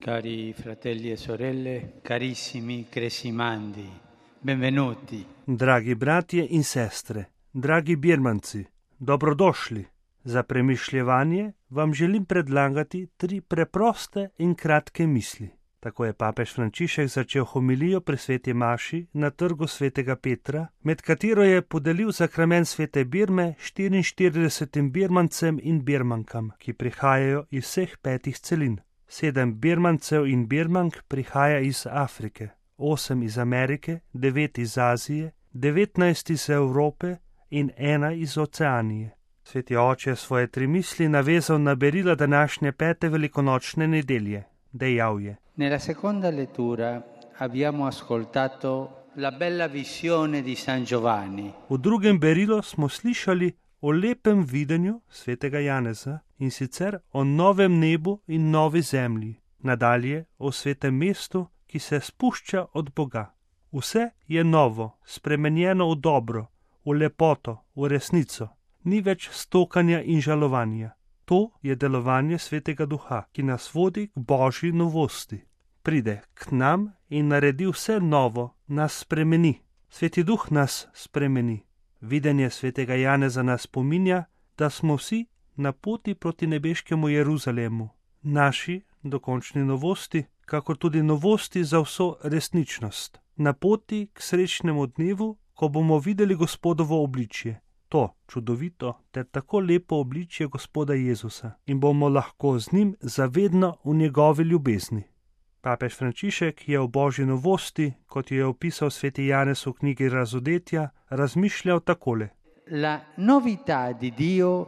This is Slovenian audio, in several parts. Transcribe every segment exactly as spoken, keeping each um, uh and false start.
Cari fratelli e sorelle, carissimi Cresimandi, benvenuti. Dragi bratje in sestre, dragi birmanci, dobrodošli. Za premišljevanje vam želim predlagati tri preproste in kratke misli. Tako je papež Frančišek začel homilijo pri sveti maši na trgu svetega Petra, med katero je podelil sakrament svete Birme štiriinštiridesetim birmancem in birmankam, ki prihajajo iz vseh petih celin. Sedem birmancev in birmank prihaja iz Afrike, osem iz Amerike, devet iz Azije, devetnajst iz Evrope in ena iz Oceanije. Sveti oče svoje tri misli navezal na berila današnje pete velikonočne nedelje. Dejal je: Nella seconda lettura abbiamo ascoltato la bella visione di San Giovanni. V drugem berilu smo slišali o lepem videnju svetega Janeza, in sicer o novem nebu in novi zemlji, nadalje o svetem mestu, ki se spušča od Boga. Vse je novo, spremenjeno v dobro, v lepoto, v resnico. Ni več stokanja in žalovanja. To je delovanje svetega duha, ki nas vodi k božji novosti. Pride k nam in naredi vse novo, nas spremeni. Sveti duh nas spremeni. Videnje svetega Janeza nas spominja, da smo vsi na poti proti nebeškemu Jeruzalemu, naši dokončni novosti, kakor tudi novosti za vso resničnost. Na poti k srečnemu dnevu, ko bomo videli Gospodovo obličje, to čudovito ter tako lepo obličje Gospoda Jezusa, in bomo lahko z njim zavedno v njegovi ljubezni. Papež Frančišek je o božji novosti, kot jo je opisal sveti Janez v knjigi Razodetja, razmišljal takole. La novità di Dio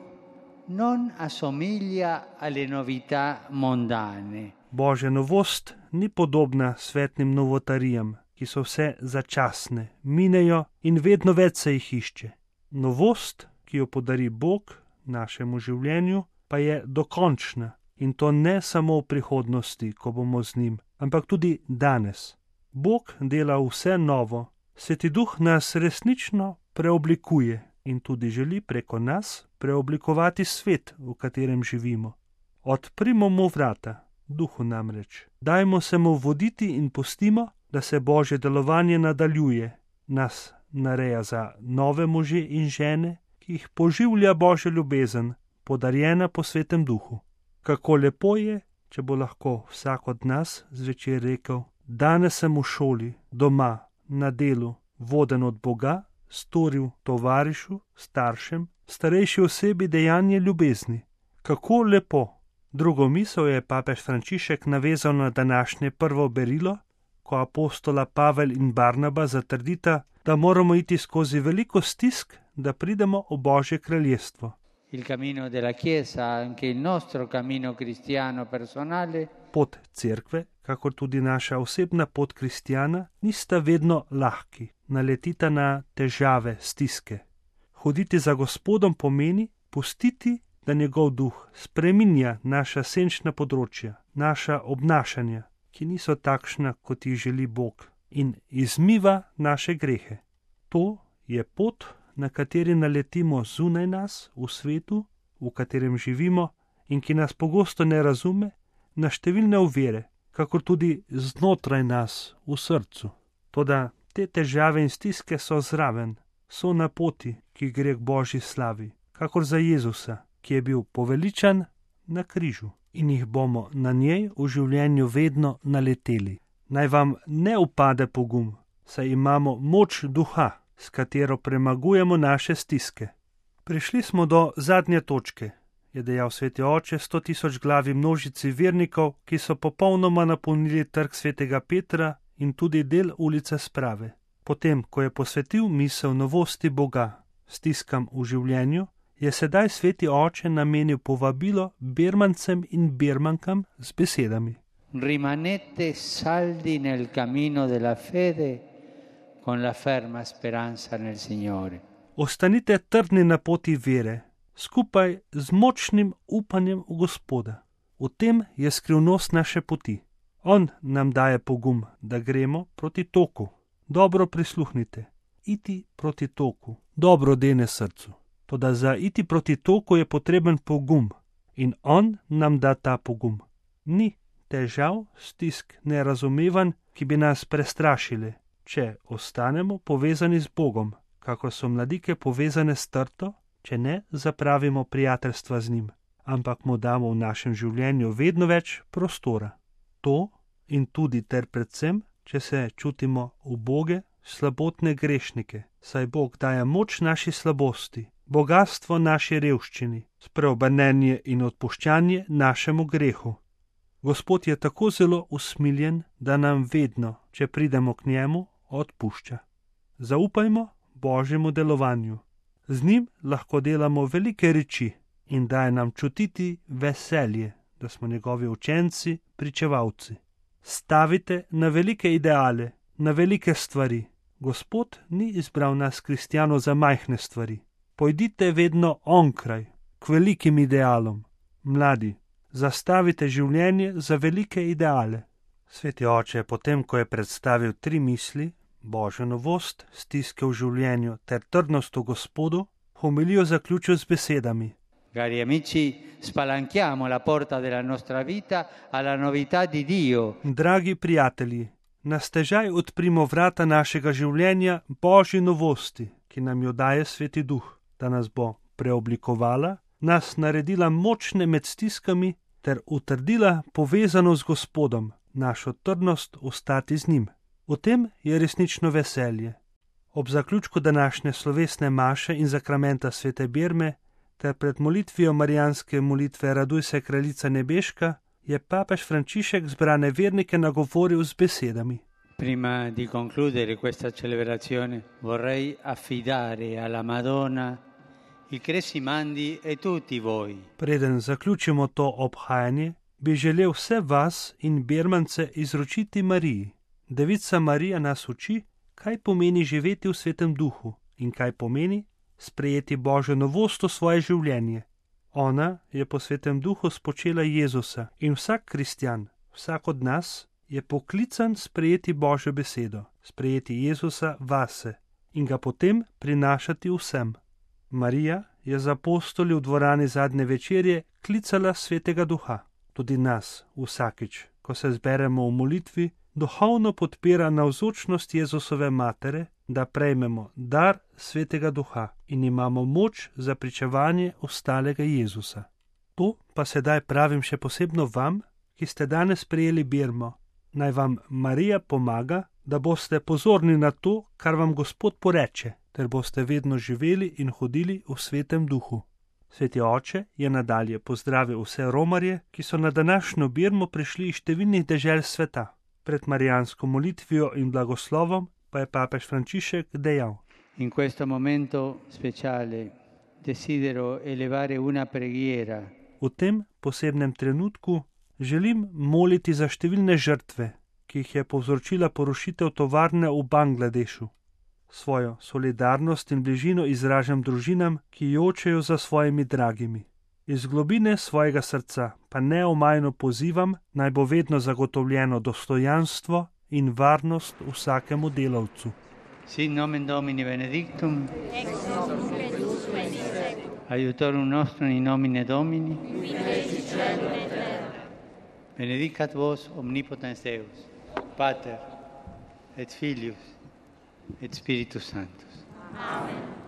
non assomiglia alle novità mondane. Božja novost ni podobna svetnim novotarijam, ki so vse začasne, minejo in vedno več se jih išče. Novost, ki jo podari Bog našemu življenju, pa je dokončna. In to ne samo v prihodnosti, ko bomo z njim, ampak tudi danes. Bog dela vse novo, Sveti duh nas resnično preoblikuje in tudi želi preko nas preoblikovati svet, v katerem živimo. Odprimo mu vrata, duhu namreč. Dajmo se mu voditi in pustimo, da se božje delovanje nadaljuje, nas nareja za nove može in žene, ki jih poživlja božja ljubezen, podarjena po svetem duhu. Kako lepo je, če bo lahko vsak od nas zvečer rekel: danes sem v šoli, doma, na delu, voden od Boga, storil tovarišu, staršem, starejši osebi dejanje ljubezni. Kako lepo! Drugo misel je papež Frančišek navezal na današnje prvo berilo, ko apostola Pavel in Barnaba zatrdita, da moramo iti skozi veliko stisk, da pridemo v Božje kraljestvo. Il cammino della Chiesa, anche il nostro cammino cristiano personale. Pot cerkve, kakor tudi naša osebna pot kristjana, nista vedno lahki, naletita na težave, stiske. Hoditi za Gospodom pomeni pustiti, da njegov duh spreminja naša senčna področja, naša obnašanja, ki niso takšna, kot jih želi Bog, in izmiva naše grehe. To je pot, na kateri naletimo zunaj nas, v svetu, v katerem živimo in ki nas pogosto ne razume, na številne ovire, kakor tudi znotraj nas, v srcu. Toda te težave in stiske so zraven, so na poti, ki gre k Božji slavi, kakor za Jezusa, ki je bil poveličan na križu, in jih bomo na njej v življenju vedno naleteli. Naj vam ne upade pogum, saj imamo moč duha, s katero premagujemo naše stiske. Prišli smo do zadnje točke, je dejal sveti oče sto tisoč glavi množici vernikov, ki so popolnoma napolnili trg svetega Petra in tudi del ulice Sprave. Potem, ko je posvetil misel novosti Boga stiskam v življenju, je sedaj sveti oče namenil povabilo birmancem in birmankam z besedami. Rimanete saldi nel cammino della fede con la ferma speranza nel Signore. Ostanite trdni na poti vere, skupaj z močnim upanjem v Gospoda. V tem je skrivnost naše poti. On nam daje pogum, da gremo proti toku. Dobro prisluhnite. Iti proti toku. Dobro dene srcu. Toda za iti proti toku je potreben pogum. In on nam da ta pogum. Ni težav, stisk, nerazumevanj, ki bi nas prestrašili, če ostanemo povezani z Bogom, kako so mladike povezane s trto, če ne zapravimo prijateljstva z njim, ampak mu damo v našem življenju vedno več prostora. To in tudi ter predvsem, če se čutimo uboge, slabotne grešnike, saj Bog daje moč naši slabosti, bogatstvo naši revščini, spreobrnenje in odpuščanje našemu grehu. Gospod je tako zelo usmiljen, da nam vedno, če pridemo k njemu, odpušča. Zaupajmo Božjemu delovanju. Z njim lahko delamo velike reči in daje nam čutiti veselje, da smo njegovi učenci, pričevalci. Stavite na velike ideale, na velike stvari. Gospod ni izbral nas kristjanov za majhne stvari. Pojdite vedno onkraj, k velikim idealom. Mladi, zastavite življenje za velike ideale. Sveti oče, potem ko je predstavil tri misli, Božjo novost, stiske v življenju ter trdnost v Gospodu, homilijo zaključil z besedami. Cari amici, spalanchiamo la porta della nostra vita alla novità di Dio. Dragi prijatelji, na stežaj odprimo vrata našega življenja Božji novosti, ki nam jo daje Sveti Duh, da nas bo preoblikovala, nas naredila močne med stiskami ter utrdila povezano z Gospodom, našo trdnost ostati z njim. V tem je resnično veselje. Ob zaključku današnje slovesne maše in zakramenta svete Birme ter pred molitvijo marijanske molitve Raduj se, kraljica nebeška, je papež Frančišek zbrane vernike nagovoril z besedami. Prima di concludere questa celebrazione vorrei affidare alla Madonna il Cresimandi e tutti voi. Preden zaključimo to obhajanje, bi želel vse vas in Birmance izročiti Mariji. Devica Marija nas uči, kaj pomeni živeti v Svetem Duhu in kaj pomeni sprejeti Božjo novost v svoje življenje. Ona je po Svetem Duhu spočela Jezusa in vsak kristjan, vsak od nas, je poklican sprejeti Božjo besedo, sprejeti Jezusa vase in ga potem prinašati vsem. Marija je z apostoli v dvorani zadnje večerje klicala Svetega Duha. Tudi nas vsakič, ko se zberemo v molitvi, duhovno podpira navzočnost Jezusove matere, da prejmemo dar Svetega Duha in imamo moč za pričevanje ostalega Jezusa. To pa sedaj pravim še posebno vam, ki ste danes prejeli birmo. Naj vam Marija pomaga, da boste pozorni na to, kar vam Gospod poreče, ter boste vedno živeli in hodili v Svetem Duhu. Sveti oče je nadalje pozdravil vse romarje, ki so na današnjo birmo prišli iz številnih dežel sveta. Pred marijansko molitvijo in blagoslovom pa je papež Frančišek dejal: In questo momento speciale desidero elevare una preghiera. V tem posebnem trenutku želim moliti za številne žrtve, ki jih je povzročila porušitev tovarne v Bangladešu. Svojo solidarnost in bližino izražam družinam, ki jočejo za svojimi dragimi. Iz globine svojega srca pa neomajno pozivam, naj bo vedno zagotovljeno dostojanstvo in varnost vsakemu delavcu. Sin nomen Domini benedictum, aiutorium nostrum in nomine Domini, benedicat vos omnipotens Deus, Pater et Filius et Spiritus Sanctus. Amen.